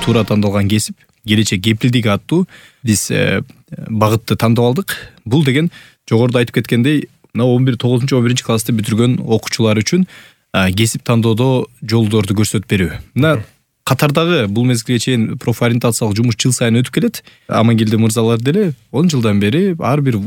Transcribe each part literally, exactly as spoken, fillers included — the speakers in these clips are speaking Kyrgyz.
туура тандалган кесип, келечек кепилдиги аттуу биз багытты тандап алдык. Бул деген жогоруда айтып кеткендей, мына он бир тогузунчу он биринчи классты бүтүргөн окуучулар үчүн кесип тандоодо жолдорду көрсөтүп берүү. Мына катардагы бул мезгилге чейин профориентациялык жумуш жыл сайын өтүп келет. Амангелди мырзалар деле он жылдан бери ар бир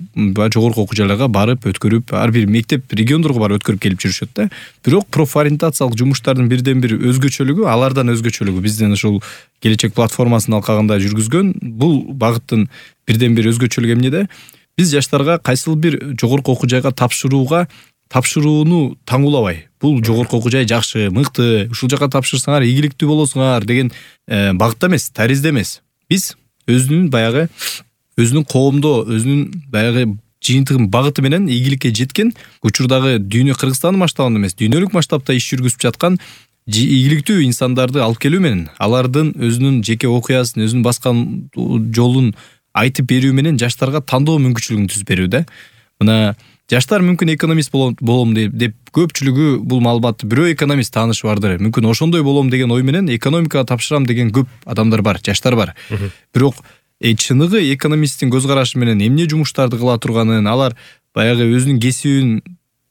жогорку окуу жайларга барып өткөрүп, ар бир мектеп региондорго барып өткөрүп келип жүрүшөт да. Бирок профориентациялык жумуштардын бирден бир өзгөчөлүгү, алардан өзгөчөлүгү биздин ушул келечек платформасынын алкагында жүргүзгөн бул багыттын бирден бир өзгөчөлүгү эмнеде? Биз жаштарга кайсыл бир жогорку окуу жайга тапшырууга тапшырууну таңуулабай, бул жогорку окуу жай жакшы, мыкты, ушул жака тапшырсаңар ийгиликтүү болосуңар деген багытта эмес, таризде эмес. Биз өзүнүн баягы өзүнүн коомдо, өзүнүн баягы жыйынтыгын багыты менен ийгиликке жеткен, учурдагы дүйнө Кыргызстандын масштабында эмес, дүйнөлүк масштабта иш жүргүзүп жаткан ийгиликтүү инсандарды алып келүү менен, алардын өзүнүн жеке окуясын, өзүнүн баскан жолун айтып берүү менен жаштарга тандоо мүмкүнчүлүгүн түзүп берүү да. Мына жаштар мүмкүн экономист болом деп көпчүлүгү бул маалыматты бирөө экономист таанышы бардыр. Мүмкүн ошондой болом деген ой менен экономикага тапшырам деген көп адамдар бар, жаштар бар. Бирок э, чыныгы экономисттин көз карашы менен эмне жумуштарды кыла турганын, алар баягы өзүнүн кесибин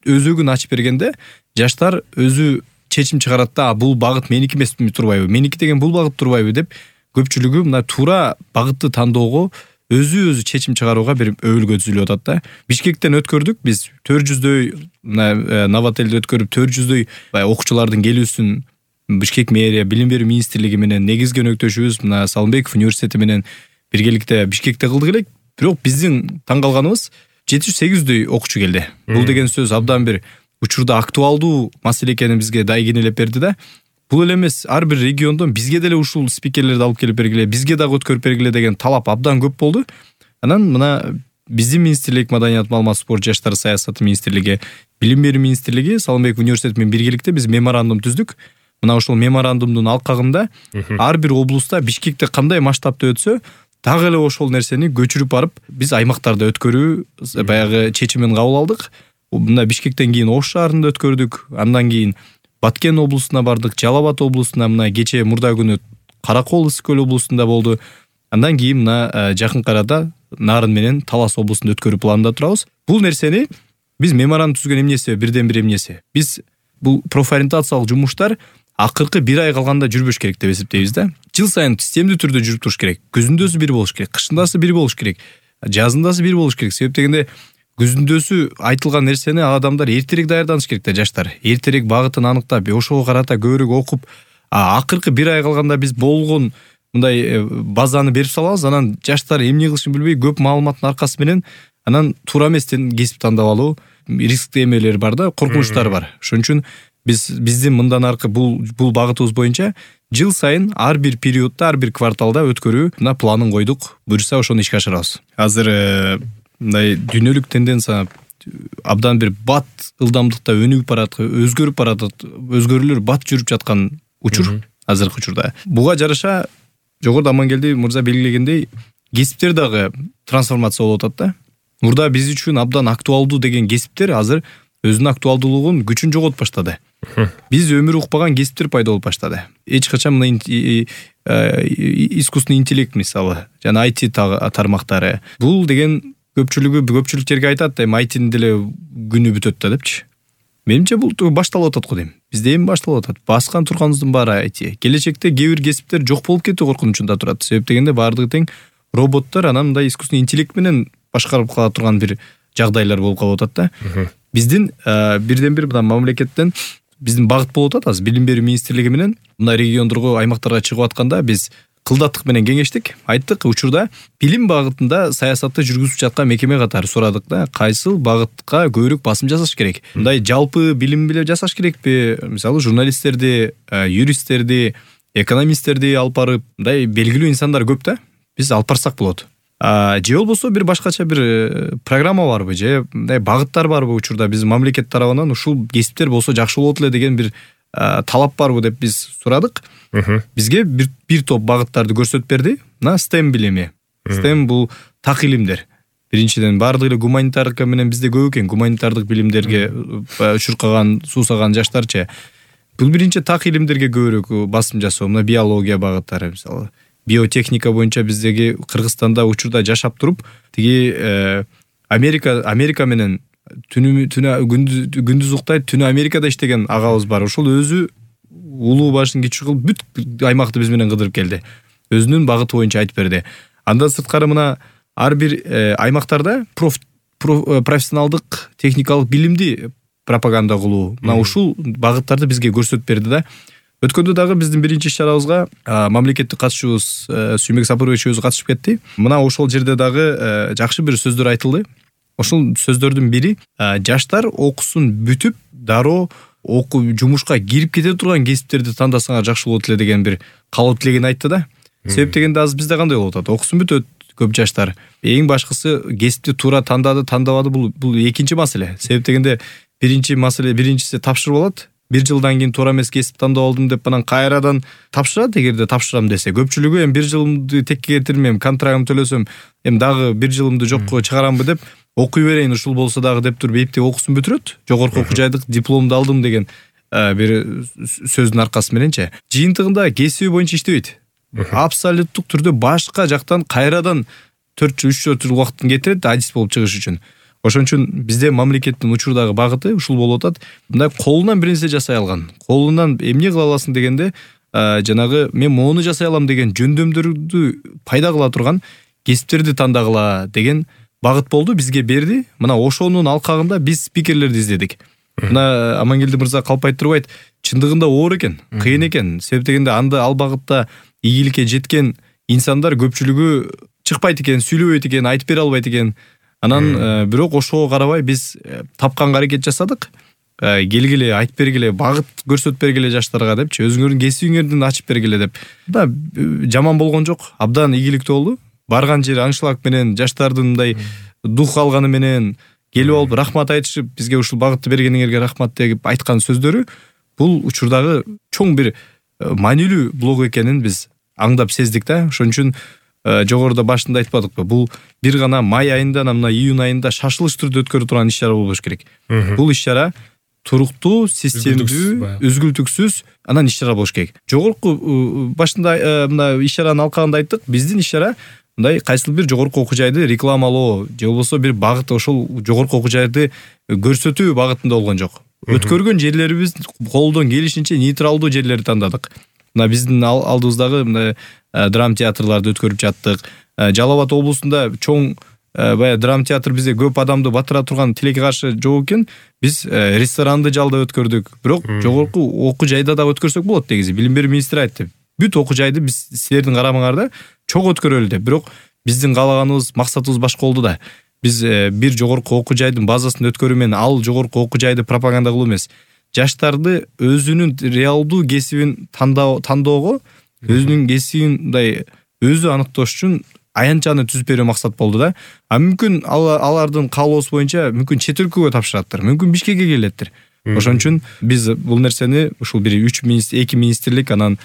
өзөгүн ачып бергенде жаштар өзү чечим чыгарат да, бул багыт меники эмеспи турбайбы, меники деген бул багыт турбайбы деп көпчүлүгү мына туура багытты тандоого өзү өзү чечим чыгарууга бир өбүлгө түзүлүп атат да. Бишкектен өткөрдүк биз төрт жүздөй, мына Новотелде өткөрүп төрт жүздөй окуучулардын келүүсүн Бишкек мэрия, билим берүү министрлиги менен негизги өнөктөшүбүз мына Салымбеков университети менен биргеликте Бишкекте кылдык элек. Бирок биздин таң калганыбыз жети жүз сегиз жүздөй окуучу келди. Бул деген сөз абдан бир учурда актуалдуу маселе экенин бизге дайгинелеп берди да. Бул эле эмес, ар бир региондон бизге деле ушул спикерлерди алып келип бергиле, бизге дагы өткөрүп бергиле деген талап абдан көп болду. Анан мына биздин министрлик, Маданият, маалымат, спорт, жаштар саясаты министрлиги, билим берүү министрлиги Салымбеков университети менен биргеликте биз меморандум түздүк. Мына ошол меморандумдун алкагында ар бир облуста Бишкекте кандай масштабта өтсө, дагы эле ошол нерсени көчүрүп барып биз аймактарда өткөрүү баягы чечимин кабыл алдык. Мына Бишкектен кийин Ош шаарында өткөрдүк, андан кийин Баткен облусуна бардык, Жалал Абад облусуна, мына кече мурда күнү Каракол Ысык көл облусунда болду. Андан кийин мына жакын арада Нарын менен Талас облусунда өткөрүү планында турабыз. Бул нерсени биз меморандум түзгөн эмнеси, бирден бир эмнеси. Биз бул профориентациялык жумуштар акыркы бир ай калганда жүрбөш керек деп эсептейбиз да. Жыл сайын системдүү түрдө жүрүп туруш керек. Күзүндөсү бир болуш керек, кышындасы бир болуш керек, жазындасы бир болуш керек. Себеп дегенде күзүндөсү айтылган нерсени адамдар эртерээк даярданыш керек да, жаштар. Эртерээк багытын аныктап, ошого карата көбүрөөк окуп, акыркы бир ай калганда биз болгон мындай базаны берип салабыз, анан жаштар эмне кылышын билбей көп маалыматтын аркасы менен анан туура эместен кесип тандап алуу рисктүү эмелер бар да, коркунучтар бар. Ошон үчүн биз биздин мындан аркы бул бул багытыбыз боюнча жыл сайын ар бир периодда, ар бир кварталда өткөрүү мына планын койдук. Буюрса ошону ишке ашырабыз. Азыр мындай дүйнөлүк тенденция абдан бир бат ылдамдыкта өнүгүп бараткан, өзгөрүп баратат, өзгөрүүлөр бат жүрүп жаткан учур азыркы учурда. Буга жараша жогоруда Амангелди мырза белгилегендей кесиптер дагы трансформация болуп атат да. Мурда биз үчүн абдан актуалдуу деген кесиптер азыр өзүнүн актуалдуулугун, күчүн жоготуп баштады. Биз өмүр укпаган кесиптер пайда болуп баштады. Эч качан мына искусственный интеллект мисалы, жана ай ти тармактары. Бул деген көпчүлүгү көпчүлүк жерге айтат, эми ай тинин деле күнү бүтөт да депчи. Менимче бул башталып атат го дейм. Бизде эми башталып атат. Баскан турганыбыздын баары ай ти. Келечекте кээ бир кесиптер жок болуп кетүү коркунучунда турат. Себеп дегенде баардыгы тең роботтор, анан мындай искусственный интеллект менен башкарып кала турган бир жагдайлар болуп калып атат да. Биздин бирден бир мына мамлекеттен биздин багыт болуп атат азыр билим берүү министрлиги менен мына региондорго, аймактарга чыгып атканда биз кылдаттык менен кеңештик. Айттык, учурда билим багытында саясатты жүргүзүп жаткан мекеме катары сурадык да, кайсыл багытка көбүрөөк басым жасаш керек. Мындай жалпы билим биле жасаш керекпи? Мисалы журналисттерди, юристтерди, экономисттерди алып барып, мындай белгилүү инсандар көп да. Биз алып барсак болот. Же болбосо бир башкача бир программа барбы, же мындай багыттар барбы учурда биз мамлекет тарабынан ушул кесиптер болсо жакшы болот эле деген бир талап барбы деп биз сурадык. Бизге бир, бир топ багыттарды көрсөтүп берди. Мына STEM билими. STEM бул так илимдер. Биринчиден баардык эле гуманитарка менен бизде көп экен, гуманитардык билимдерге чуркаган, суусаган жаштарчы. бул биринчи так илимдерге көбүрөөк басым жасоо, мына биология багыттары, мисалы биотехника боюнча биздеги Кыргызстанда учурда жашап туруп, тиги Америка Америка менен түнү түнү күндүз уктайт, түнү Америкада иштеген агабыз бар. Ошол өзү улуу башын кичүү кылып бүт аймакты биз менен кыдырып келди. Өзүнүн багыты боюнча айтып берди. Андан сырткары мына ар бир аймактарда профессионалдык техникалык билимди пропаганда кылуу, мына ушул багыттарды бизге көрсөтүп берди да. Өткөндө дагы биздин биринчи иш-чарабызга мамлекеттик катышуубуз Сүймек Сапарбекович өзү катышып кетти. Мына ошол жерде дагы жакшы бир сөздөр айтылды. Ошол сөздөрдүн бири жаштар окуусун бүтүп, дароо окуу жумушка кирип кете турган кесиптерди тандасаңар жакшы болот эле деген бир каалоо тилегин айтты да. Себеп дегенде азыр бизде кандай болуп атат? Окуусун бүтөт көп жаштар. Эң башкысы кесипти туура тандады, тандабады, бул бул экинчи маселе. Себеп дегенде биринчи маселе биринчиси тапшырып алат. Бир жылдан кийин туура эмес кесип тандап алдым деп анан кайрадан тапшырат, эгерде тапшырам десе. Көпчүлүгү эми бир жылымды текке кетирмем, контрагым төлөсөм, эми дагы бир жылымды жокко чыгарамбы деп окуй берейин, ушул болсо дагы деп туруп эптеп окуусун бүтүрөт. Жогорку окуу жайдык дипломду алдым деген бир сөздүн аркасы мененчи. Жыйынтыгында кесиби боюнча иштебейт. Абсолюттук түрдө башка жактан кайрадан төрт жыл үч жыл убакытын кетирет адис болуп чыгыш үчүн. Ошон үчүн бизде мамлекеттин учурдагы багыты ушул болуп атат. Мындай колунан бир нерсе жасай алган. Колунан эмне кыла аласың дегенде, жанагы мен моуну жасай алам деген жөндөмдөрдү пайда кыла турган кесиптерди тандагыла деген багыт болду, бизге берди. Мына ошонун алкагында биз спикерлерди издедик. Мына Амангелди мырза калп айтып турбайт, чындыгында оор экен, кыйын экен. Себеп дегенде анда ал багытта ийгиликке жеткен инсандар көпчүлүгү чыкпайт экен, сүйлөбөйт экен, айтып бере албайт экен. Анан бирок ошого карабай биз тапканга аракет жасадык. Келгиле, айтып бергиле, багыт көрсөтүп бергиле жаштарга депчи, өзүңөрдүн кесибиңердин ачып бергиле деп. Да жаман болгон жок, абдан ийгиликтүү болду. Барган жери аншлаг менен жаштардын мындай дух алганы менен келип алып рахмат айтышып, бизге ушул багытты бергениңерге рахмат деп айткан сөздөрү бул учурдагы чоң бир маанилүү блог экенин биз аңдап сездик да. Ошон үчүн жогоруда башында айтпадыкпы, бул бир гана май айында, мына июнь айында шашылыш түрдө өткөрүлө турган иш-чара болбош керек. Бул иш-чара туруктуу, системдүү, үзгүлтүксүз анан иш-чара болуш керек. Жогорку башында мына иш-чаранын алкагында айттык, биздин иш-чара мындай кайсыл бир жогорку окуу жайды рекламалоо же болбосо бир багыт ошол жогорку окуу жайды көрсөтүү багытында болгон жок. Өткөргөн жерлерибиз колдон келишинче нейтралдуу жерлерди тандадык. Мына биздин алдыбыздагы мына драма театрларды өткөрүп жаттык. Жалал Абад облусунда чоң баягы драма театр бизде көп адамды батыра турган тилекке каршы жок экен. Биз ресторанды жалда өткөрдүк. Бирок жогорку окуу жайда да өткөрсөк болот дегизи. Билим берүү министри айтты. Бүт окуу жайды биз силердин карамаңарда чоң өткөрөлү деп. Бирок биздин каалаганыбыз, максатыбыз башка болду да. Биз бир жогорку окуу жайдын базасын өткөрүү менен ал жогорку окуу жайды пропаганда кылуу эмес. Жаштарды өзүнүн реалдуу кесибин тандоого, өзүнүн кесибин мындай өзү аныктош үчүн аянтчаны түзүп берүү максат болду да. А мүмкүн алардын каалоосу боюнча мүмкүн чет өлкөгө тапшыраттыр, мүмкүн Бишкекке келеттир. Ошон үчүн биз бул нерсени ушул бир үч министр, эки министрлик анан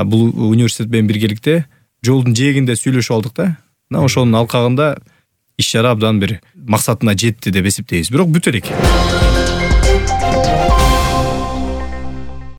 бул университет менен биргеликте жолдун жээгинде сүйлөшүп алдык да. Мына ошонун алкагында иш-чара абдан бир максатына жетти деп эсептейбиз. Бирок бүтө элек.